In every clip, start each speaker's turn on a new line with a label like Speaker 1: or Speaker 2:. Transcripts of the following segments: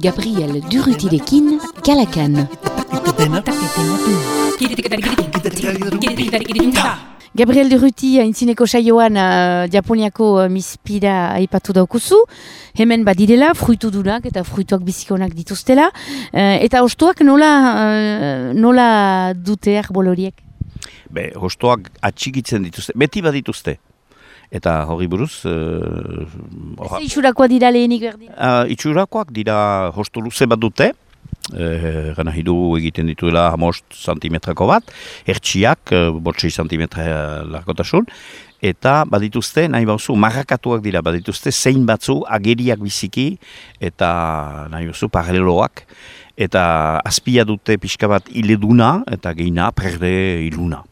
Speaker 1: Gabriel Durrutirekin, Kalakan. Gabriel Durruti aintzineko saioan Japoniako mispira aipatu daukuzu. Hemen badirela, fruitudunak eta fruituak bizikonak dituztela. Eta hostoak nola dute arbol horiek?
Speaker 2: Hostoak atxikitzen dituzte, beti badituzte. Eta hori buruz...
Speaker 1: Itxurakoak dira lehenik berdin?
Speaker 2: Itxurakoak dira hosto luze bat dute. Gana hidu egiten dituela 5 santimetrako bat. Hertsiak, 6 santimetra largotasun. Eta badituzte, nahi bauzu, marrakatuak dira, badituzte zein batzu ageriak biziki eta nahi bauzu paraleloak. Eta azpia dute pixka bat ileduna eta geina perde iluna.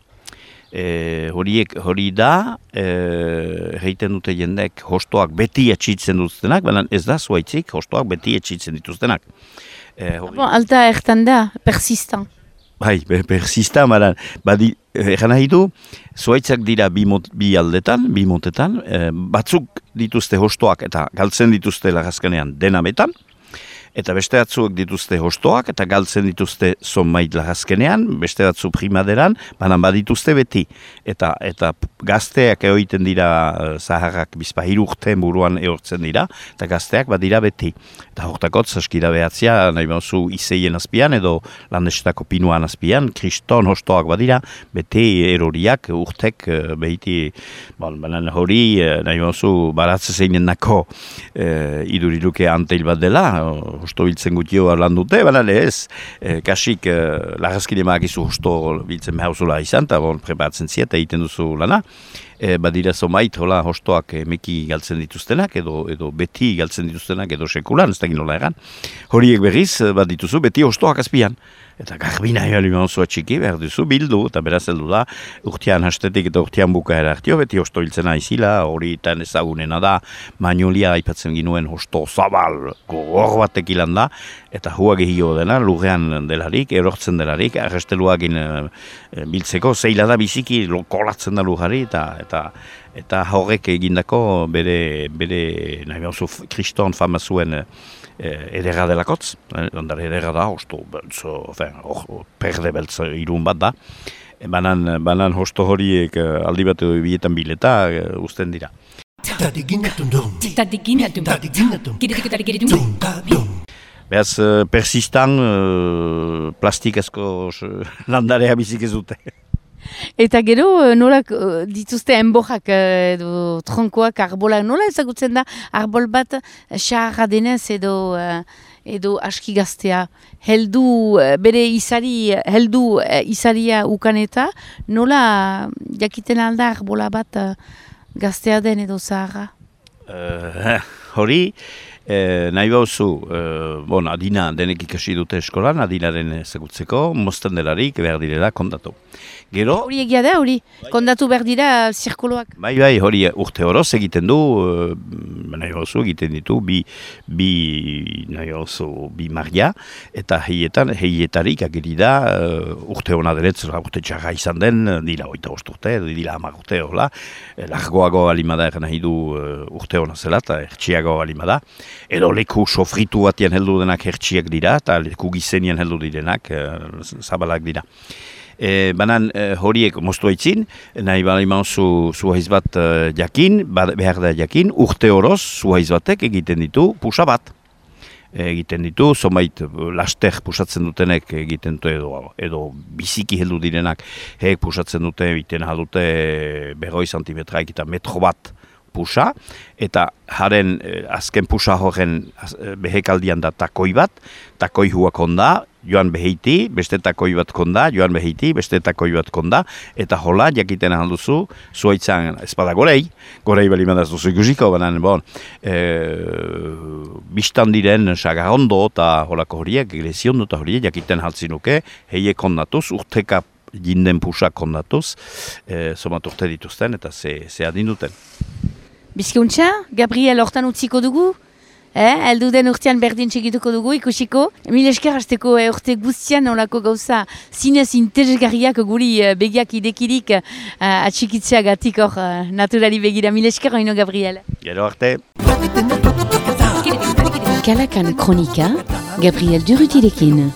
Speaker 2: Hori da, egiten dute jendek hostoak beti etxitzen dituztenak, baina ez da zuaitzik hostoak beti etxitzen dituztenak.
Speaker 1: Alta ertan da, persistan.
Speaker 2: Persistan, baina egan nahi du, zuaitzak dira bi aldetan, bi motetan, batzuk dituzte hostoak eta galtzen dituzte lagazkanean denametan, eta beste batzuek dituzte hostoak eta galtzen dituzte zonbait lagazkenean, beste batzu primaderan, baina badituzte beti. Eta gazteak egoiten dira zaharrak bizpahiru urteen buruan eortzen dira, eta gazteak badira beti. Eta hortakot, zaskira behatzia, nahi bauzu izeien azpian edo landestako pinuan azpian, kriston hostoak badira, beti eroriak urtek behiti, baina hori nahi bauzu baratze zeinen nako iduriluke anteil bat dela, hosto biltzen gutio lan dute, baina ez, kasik lagazkine maakizu hosto biltzen behauzula izan, eta preparatzen ziet, egiten duzu lana. Badira zomait, hostoak meki galtzen dituztenak, edo beti galtzen dituztenak, edo sekulan, ez da ginola egan. Horiek berriz, bat dituzu, beti hostoak azpian. Eta garbina ealiman zua txiki, behar duzu bildu, eta beraz heldu da, urtean hastetik eta urtean bukaera hartio, beti hosto hiltzena izila, hori eta ezagunena da, Magnolia aipatzen ginuen hosto zabal, gogor batek ilan da, eta hua gehio dena, lurrean delarik, erortzen delarik, arresteluagin biltzeko, zeila da biziki, kolatzen da lurrari, eta horrek egindako bere nahi bauzu, kriston fama zuen edera delakotz, ondare edera da, hosto perde beltz irun bat da, banan hosto horiek aldi bat bietan bileta uzten dira. Beaz, persistan plastikazko landarea bizik ez dute.
Speaker 1: Eta gero, nola dituzte enbojak edo tronkoak, arbolak, nola ezagutzen da arbol bat xarra denez edo aski gaztea. Bere izaria ukaneta, nola jakiten alda arbola bat gaztea den edo zaharra?
Speaker 2: Hori, nahi bauzu, adina denek ikasi dute eskolan, adinaren ezagutzeko, mozten delarik behar direla kontatu. Gero?
Speaker 1: Hori egia da, hori, kondatu behar dira zirkoloak.
Speaker 2: Bai, hori urte horoz egiten du, nahi bauzu egiten ditu, bi maria, eta heietarik ageri da, urte hona deretz, urte txarra izan den, dira 8 urte, dira 10 urte, hola, largoago alimada eran nahi du urte hona zela, eta hertsiago alimada, edo leku sofritu batian heldu denak hertsiak dira, eta leku gizenian heldu direnak, zabalak dira. Banan horiek moztu haitzin, nahi baliman zuhaiz bat jakin, behar da jakin, urte horoz zuhaiz batek egiten ditu pusa bat. Egiten ditu, zomait laster pusatzen dutenek egiten du edo biziki heldu direnak heek pusatzen dute, egiten dute 2 santimetraik eta metro bat pusa, eta haren azken pusa horren behekaldian da takoi bat, takoi huak onda, joan beheiti, beste takoi bat konda, joan beheiti, beste takoi bat konda, eta hola, jakiten alduzu, zuaitzan espada gorei balimadaz duzu ikusiko, banan, biztan diren sagarrondo eta holako horiek, lesiondo eta horiek, jakiten haltzinuke, heiek ondatuz, urteka jinden pusak ondatuz, somat urte dituzten, eta ze adinduten.
Speaker 1: Bizkuntza, Gabriel hortan utziko dugu? Eldu den urtean berdin txegituko dugu, ikusiko. Mil esker hasteko urte guztian olako gauza zinez interesgarriak guri begiak idekirik atxikitzeagatik hor naturali begira. Mil esker oino, Gabriel.
Speaker 2: Gero arte.
Speaker 1: Kalakan kronika. Gabriel Durrutirekin.